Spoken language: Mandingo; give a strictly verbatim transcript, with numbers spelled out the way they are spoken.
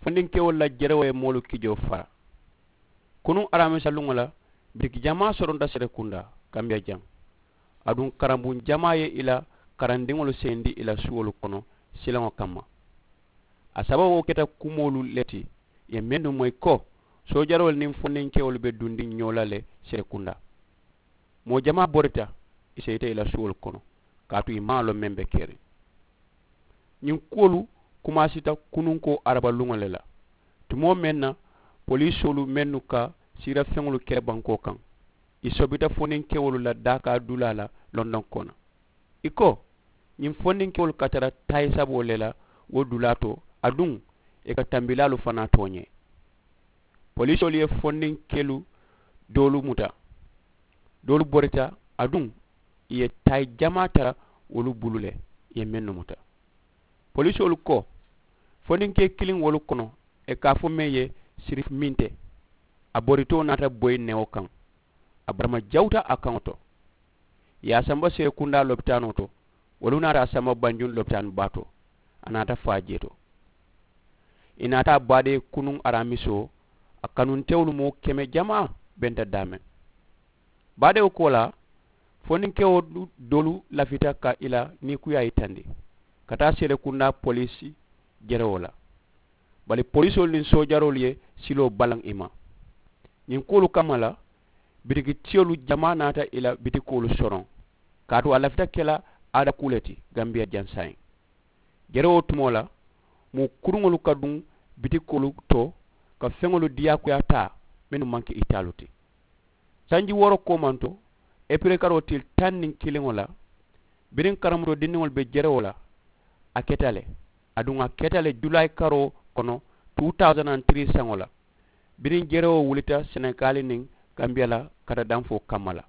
fondinkewolu la jerewoo ye moolu kijoo fara. Kunuŋ aramisa luŋo la, bitiki jamaa soronta serekundaa kambiya jaŋ. Aduŋ karambuŋ jamaa ye i la karandiŋolu seyindi i la suwolu kono silaŋo kamma. A sababoo keta kumoolu le ti ye mennu moyi ko soojaroolu niŋ fondinkewolu be dundiŋ ñoo la le serekundaa. Moo jamaa borita i seyita i la suwolu kono kaatu i maŋ a loŋ meŋ be keriŋ. Ñiŋ kuwolu kumaasita kununkoo arabaluŋo le la, tumoo meŋ na poliisoolu mennu ka siirafeŋolu kere bankoo kaŋ i sobita foninkewolu la daakaa dulaa la londoŋ kono. I ko ñiŋ fondinkewolu ka tara taayi saboo le la wo dulaa to aduŋ ì ka tambilaalu fanaa tooñee. Poliisoolu ye fondinkelu doolu muta, doolu borita aduŋ ì ye taayi jamaa tara wolu bulu le ì ye mennu muta. Poliisoolu ko fondinkee kiliŋ wolu kono ì ka a fo meŋ ye sirif minte, a boritoo naata boyi newo kaŋ. A barama jawuta a kaŋo to ì ye a samba seekundaa lopitaanoo to. Wolu naata a samba banjuŋ lopitaani baa to. A naata faa jee to. Ì naata a baadee kunuŋ araamisoo a kanuntewolu moo keme jamaa benta daameŋ. Baadewo koolaa fondinkewo doolu lafita ka ì la niikuyaa yitandi ka taa seelekundaa poliisi jerewoo la. Bari poliisoolu niŋ soojaroolu ye siloo balaŋ ì ma. Ñiŋ kuwolu kamma la bitikitiyolu jamaa naata ì la bitikoolu soroŋ kaatu a lafita ke la aada kuu le ti gambiya jaŋ saayiŋ. Jerewoo tumoo la moo kuruŋolu ka duŋ bitikoolu to ka feŋolu diyaakuyaa taa mennu maŋ ke itaalu ti. Sanji wooro koomanto epirekaroo tili taŋ niŋ kiliŋo la biriŋ karamutoo dindiŋolu be jerewoo la a keta le. Aduŋ a keta le julaayi karoo kono two thousand and three saŋo la biriŋ jerewoo wulita senegaali niŋ gambiya la kata danfoo kamma la.